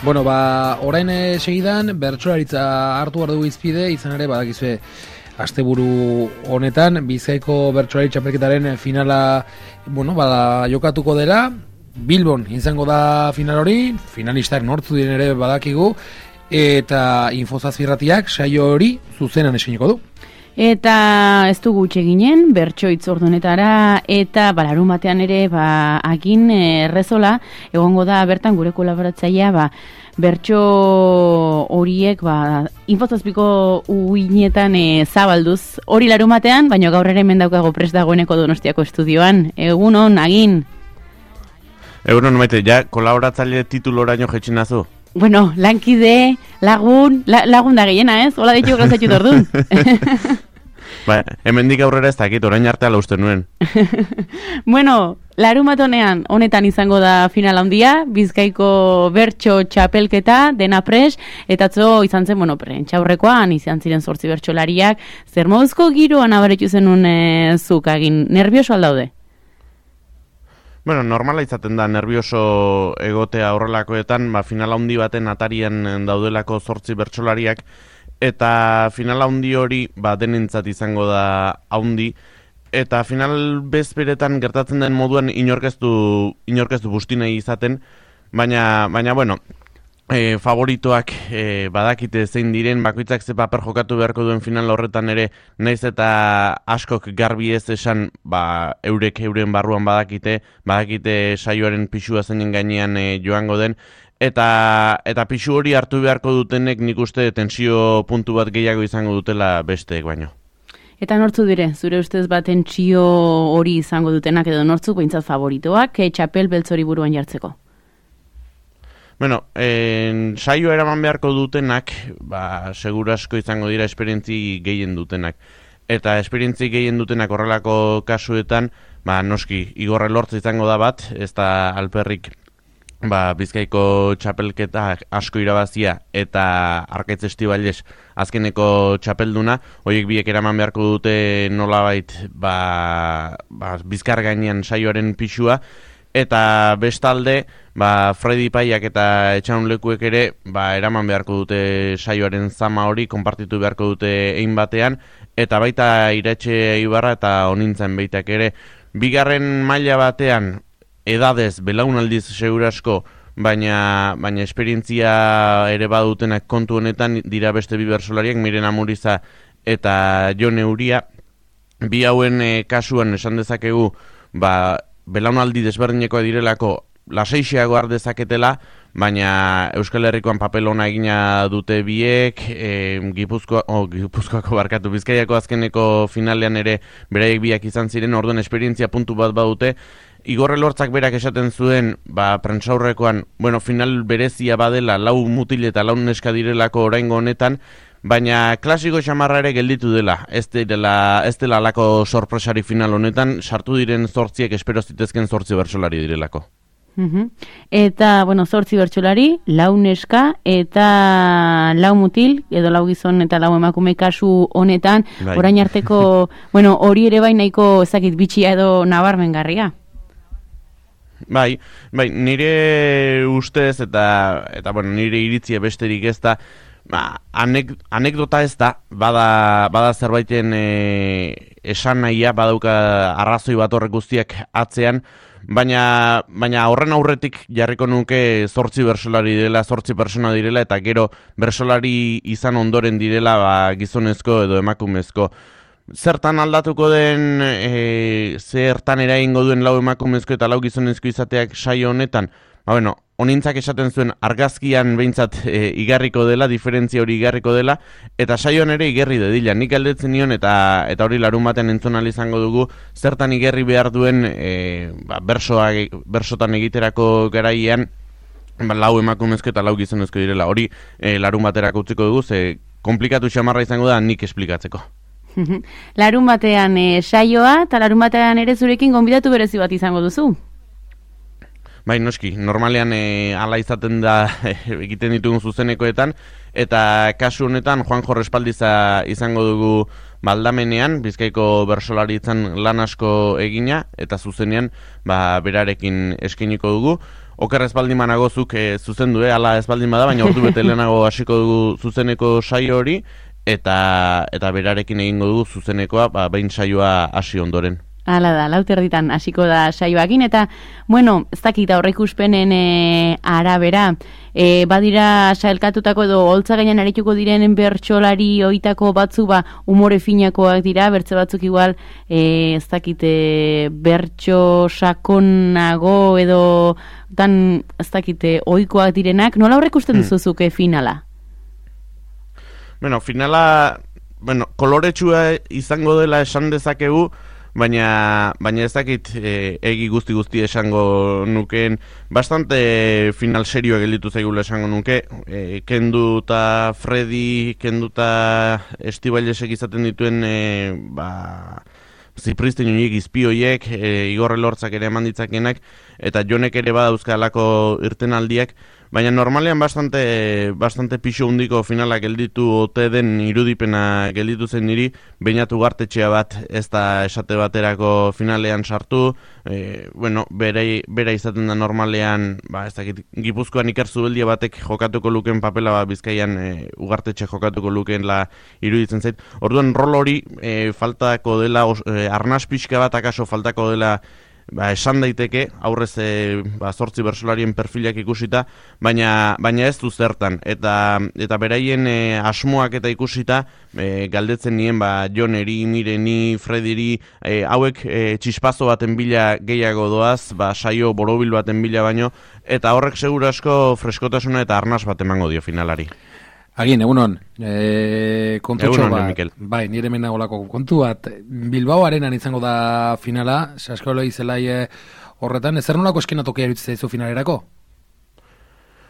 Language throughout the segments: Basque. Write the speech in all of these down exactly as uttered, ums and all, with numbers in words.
Bueno, ba, orain e, segidan, bertsolaritza hartu behar dugu izpide, izan ere, badakizue, asteburu honetan, Bizkaiko bertsolari txapelketaren finala, bueno, bada, jokatuko dela, Bilbon izango da final hori, finalistak nortzu diren ere badakigu, eta Infozazpirratiak saio hori zuzenan eskainiko du. Eta ez dugu utxe ginen, bertsoitz ordunetara, eta balarun batean ere, ba, agin errezola, egongo da bertan gure kolaboratzailea, ba, bertso horiek, ba, Infozazpiko uinetan e, zabalduz, hori larun batean, baina gaur ere hemen daukago prest dagoeneko Donostiako estudioan. Egun hon, agin? Egun hon, maite, ja, kolaboratzaile tituloraino jetxinazu? Bueno, lankide, lagun, la, lagun da gehiena, ez? Hola ditu grazatxu dordun. Ba, hemendik aurrera ez dakit, orain arte ala uste nuen. Bueno, larun bat honean, honetan izango da final handia, Bizkaiko bertso txapelketa, dena pres, eta atzo izan zen, bueno, prentxaurrekoan, izan ziren zortzi bertsolariak, zer moduzko giroan abaretu zenun e, zuk, agin, nervioso aldaude? Bueno, normala izaten da nervioso egotea horrelakoetan, ba, finala handi baten atarian daudelako zortzi bertsolariak, eta finala handi hori ba, denentzat izango da handi, eta final bezperetan gertatzen den moduan inorkeztu, inorkeztu bustinei izaten, baina, baina bueno, e, favoritoak e, badakite zein diren, bakoitzak ze paper jokatu beharko duen final horretan ere, naiz eta askok garbi ez esan, ba, eurek euren barruan badakite, badakite saioaren pisua zeinen gainean e, joango den, eta eta pisu hori hartu beharko dutenek nik uste tensio puntu bat gehiago izango dutela besteek baino. Eta nortzu dire, zure ustez bat tentsio hori izango dutenak edo nortzu behintzat favoritoak, e, txapel beltzori buruan jartzeko? Bueno, en, saio eraman beharko dutenak, ba, seguru asko izango dira esperientzi gehien dutenak. Eta esperientzi gehien dutenak horrelako kasuetan, ba, noski, Igorre Lortz izango da bat, ez da alperrik ba, Bizkaiko txapelketa asko irabazia eta Arkaitz Estibaliz azkeneko txapelduna, horiek biek eraman beharko dute nolabait ba, ba, Bizkar gainean saioaren pisua, eta bestalde, ba, Freddy Paiak eta Etxaun Lekuek ere ba, eraman beharko dute saioaren zama hori, konpartitu beharko dute ein batean, eta baita Iratxe Ibarra eta Onintzen beitak ere. Bigarren maila batean, edadez, belaunaldiz segurasko, baina, baina esperientzia ere badutenak kontu honetan dira beste bi bertsolariak, Miren Amuriza eta Jone Uria. Bi hauen e, kasuan esan dezakegu, ba, belaunaldi desberdineko direlako lasaixiago har dezaketela, baina Euskal Herrikoan papel ona egina dute biek, e, Gipuzkoa, oh, Gipuzkoako barkatu, Bizkaiako azkeneko finalean ere beraiek biak izan ziren, orduan esperientzia puntu bat badute. Igorre Lortzak berak esaten zuen, ba, prentsaurrekoan, bueno, final berezia badela, lau mutil eta lau neska direlako oraingo honetan, baina klasiko xamarra ere gelditu dela, ez dela, ez dela alako sorpresari final honetan, sartu diren zortziek espero zitezken zortzi bertsolari direlako. Uh-huh. Eta, bueno, zortzi bertsolari, lau neska eta lau mutil, edo lau gizon eta lau emakume kasu honetan, bai. Orain arteko, bueno, hori ere bai nahiko ezakit bitxia edo nabarmengarria. Bai, bai, nire ustez eta, eta bueno, nire iritzia besterik ez da, ba, anek, anekdota ez da, bada, bada zerbaiten e, esan nahia, badauka arrazoi bat horrek guztiak atzean, baina, baina horren aurretik jarriko nuke zortzi bersolari direla, zortzi persona direla, eta gero bersolari izan ondoren direla ba, gizonezko edo emakumezko. Zertan aldatuko den, e, zertan eragingo duen lau emakumezko eta lau gizonezko izateak saio honetan? Ba, bueno, Onintzak esaten zuen argazkian behintzat e, igarriko dela, diferentzia hori igarriko dela, eta saioan ere igerri dedila. Nik aldetzen nion eta eta hori larun baten entzun ahal izango dugu, zertan igerri behar duen e, ba, bersoa, bersotan egiterako garaian ba, lau emakumezko eta lau gizonezko direla. Hori e, larun baterako utziko dugu, ze komplikatu xamarra izango da nik esplikatzeko. Larun batean e, saioa, eta larun batean ere zurekin gonbidatu berezi bat izango duzu? Bai, noski, normalean e, ala izaten da e, egiten ditugun zuzenekoetan, eta kasu honetan Juanjo Respaldiza izango dugu baldamenean, Bizkaiko bersolaritzan lan asko egina, eta zuzenean ba, berarekin eskainiko dugu. oker ez baldin manago zuk e, zuzendu, eh, ala ez baldin bada, baina ordu bete lehenago hasiko dugu zuzeneko saio hori, eta eta berarekin egingo dugu zuzenekoa, ba, behin saioa hasi ondoren. Hala da, lauterditan hasiko da saioakin, eta, bueno, ez dakit aurreikuspenen e, arabera, e, badira sailkatutako edo holtza gainean arituko diren bertsolari oitako batzu ba umore finakoak dira, bertze batzuk igual, e, ez dakit e, bertso sakonago edo tan, ez dakit, ohikoak direnak, nola aurreikusten duzuzuke finala? Bueno, finala, bueno, koloretsua izango dela esan dezakegu, baina baina ez dakit e, egi guzti guzti esango nukeen, bastante final serioa gelditu zaigula esango nuke, e, Kendu eta Freddy, Kendu eta Estibailesek izaten dituen e, ba, Zipristen horiek, izpi horiek, e, Igor Elortzak ere eman ditzakenak, eta Jonek ere badauzkalako irtenaldiak, baina normalean bastante, bastante pixo hundiko finalak gelditu ote den irudipena gelditu zen niri, Beñatu Gartetxea bat ez da esate baterako finalean sartu, e, bueno, bere, bere izaten da normalean, ba, ez dakit, Gipuzkoan Iker Zubeldia batek jokatuko luken papela, ba, Bizkaian e, Ugartetxe jokatuko luken la iruditzen zait. Orduan rol hori e, faltako dela, e, arnaz pixka bat akaso faltako dela, ba, esan daiteke, aurrez e, ba, zortzi bersolarien perfilak ikusita, baina, baina ez du zertan. Eta, eta beraien e, asmoak eta ikusita, e, galdetzen nien, ba, Joneri, Mireni, Frediri, e, hauek e, txispazo baten bila gehiago doaz, ba, saio borobil baten bila baino, eta horrek seguru asko freskotasuna eta arnaz bat emango dio finalari. Agin, egunon, e, kontutxo egunon, bat, Mikel. Bai, nire menagolako kontu bat, Bilbao arenan izango da finala, saskolo izelai e, horretan, ezer nolako eskenatokia eruditzen zaizu finalerako?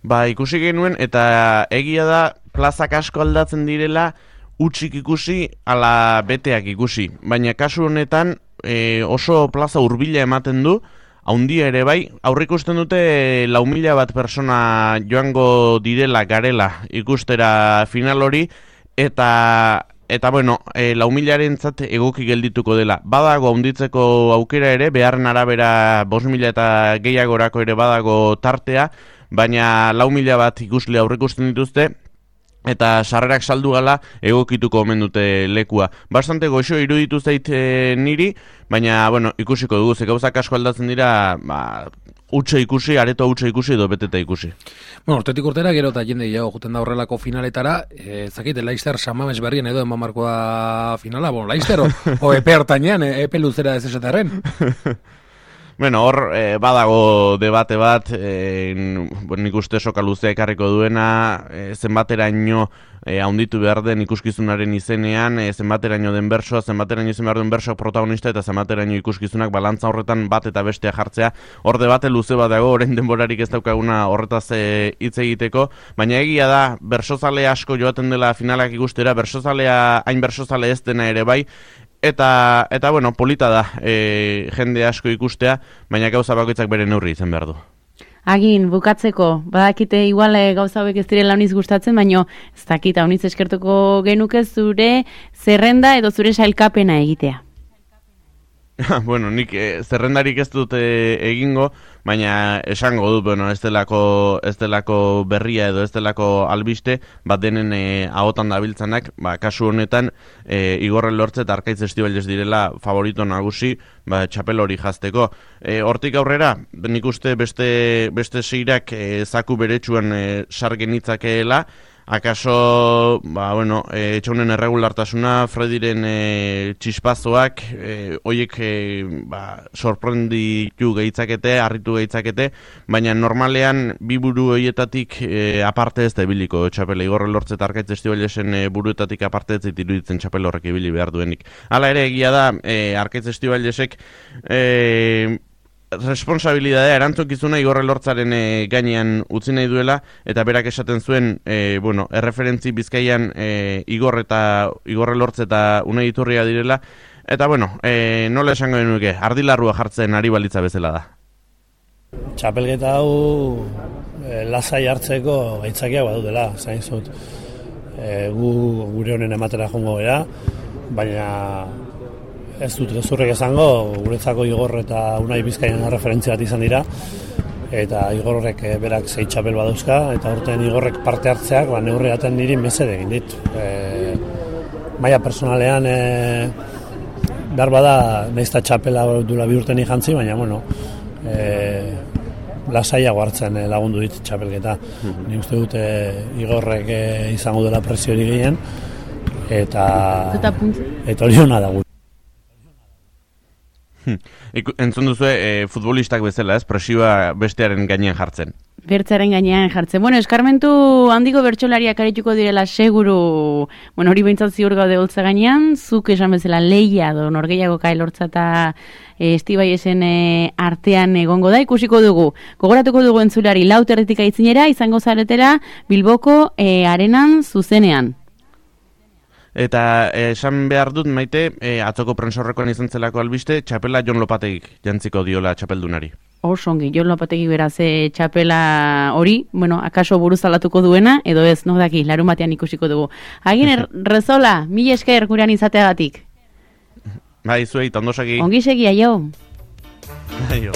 Ba, ikusi genuen, eta egia da, plazak asko aldatzen direla, utxik ikusi, ala beteak ikusi, baina kasu honetan e, oso plaza hurbila ematen du, haundia ere bai, aurrikusten dute lau mila bat persona joango direla garela ikustera final hori, eta eta bueno, e, lau milarentzat egoki geldituko dela. Badago haunditzeko aukera ere, beharren arabera bost mila eta gehiagorako ere badago tartea, baina lau mila bat ikusle aurrikusten dituzte, eta sarrerak saldu gala egokituko omen dute lekua. Bastante goxo iruditu zait e, niri, baina, bueno, ikusiko dugu, ze gauzak asko aldatzen dira, ba, utxe ikusi, areto utxe ikusi edo beteta ikusi. Bueno, urtetik urtera gero eta jende gehiago juten da horrelako finaletara, e, zakite, Laister Samames berrien edo eman marko da finala, bueno, Laister o, o epe hortanean, e, epe luzera ez esaterren. Bueno, hor eh, badago debate bat, eh, nik uste soka luzea ekarriko duena, eh, zenbateraino eh, haunditu behar den ikuskizunaren izenean, eh, zenbateraino den bersoa, zenbateraino izen behar den bersoak protagonista eta zenbateraino ikuskizunak balantza horretan bat eta bestea jartzea. Hor debate luze bat dago, orain denborarik ez daukaguna horretaz eh, hitz egiteko, baina egia da, bersozale asko joaten dela finalak ikustera, bersozalea hain bersozale ez dena ere bai, Eta, eta bueno, polita da e, jende asko ikustea, baina gauza bakoitzak bere neurri izan behar du. Agin, bukatzeko, badakite igual e, gauza hauek ez direla honiz gustatzen, baina ez dakita honiz eskertuko genuke zure zerrenda edo zure sailkapena egitea. Bueno, nik eh, zerrendarik ez dute egingo, baina esango dut, bueno, ez delako, ez delako berria edo ez delako albiste, bat denen eh, ahotan dabiltzanak, ba, kasu honetan, eh, Igor Elortze eta Arkaitz Estibailez direla favorito nagusi, ba, txapel hori jazteko. Eh, hortik aurrera, nik uste beste, beste seirak eh, zaku beretsuan eh, sargen itzakeela, akaso, ba, bueno, e, etxaunen erregulartasuna, Frediren e, txispazoak, e, oiek e, ba, sorprenditu gehitzakete, harritu gehitzakete, baina normalean bi buru horietatik e, aparte ez da ibiliko txapela. Igor Elortze eta Arkaitz Estibailesen e, buruetatik aparte ez iruditzen txapel horrek ibili behar duenik. Hala ere egia da, e, Arkaitz Estibailesek e, responsabilidadea, erantzukizuna Igor Elortzaren e, gainean utzi nahi duela, eta berak esaten zuen, e, bueno, erreferentzi Bizkaian e, Igor eta Igor Elortze eta Unai Iturria direla, eta bueno, e, nola esango genuke, ardilarrua jartzen ari balitza bezala da. Txapelketa hau e, lasai hartzeko gaitzakiak badutela, zain zut. E, gu gure honen ematera jongo gara, baina ez dut gezurrek esango, guretzako Igor eta Unai Bizkaian referentzia bat izan dira, eta Igorrek e, berak zei txapel badauzka, eta urtean Igorrek parte hartzeak, ba, neurriaten niri mesede egin dit. E, maila personalean, e, behar bada, nahizta txapela dula bi urten jantzi, baina, bueno, e, lasaiago hartzen e, lagundu dit txapelketa. Mm-hmm. Ni uste dute Igorrek e, izango dela presio hori gehien, eta, eta hori hona da gu. Entzun duzu e, futbolistak bezala, ez? Presioa bestearen gainean jartzen. Bertzaren gainean jartzen. Bueno, eskarmentu handiko bertsolariak arituko direla seguru, bueno, hori behintzat ziur gaude holtza gainean, zuk esan bezala leia do norgeiago kailortza eta e, Estibaiesen e, artean egongo da, ikusiko dugu. Gogoratuko dugu entzulari lauterretik aitzinera, izango zaretela Bilboko e, arenan zuzenean. Eta esan behar dut, Maite, e, atzoko prensorrekoan izan zelako albiste, txapela Jon Lopategik jantziko diola txapeldunari. Osongi, Jon Lopategik beraz e, txapela hori, bueno, akaso buruzalatuko duena, edo ez, no daki, larun batean ikusiko dugu. Agin, Rezola, mila esker gurean izateagatik. Bai, zuei, tondosaki. Ongi segi, aio. Aio.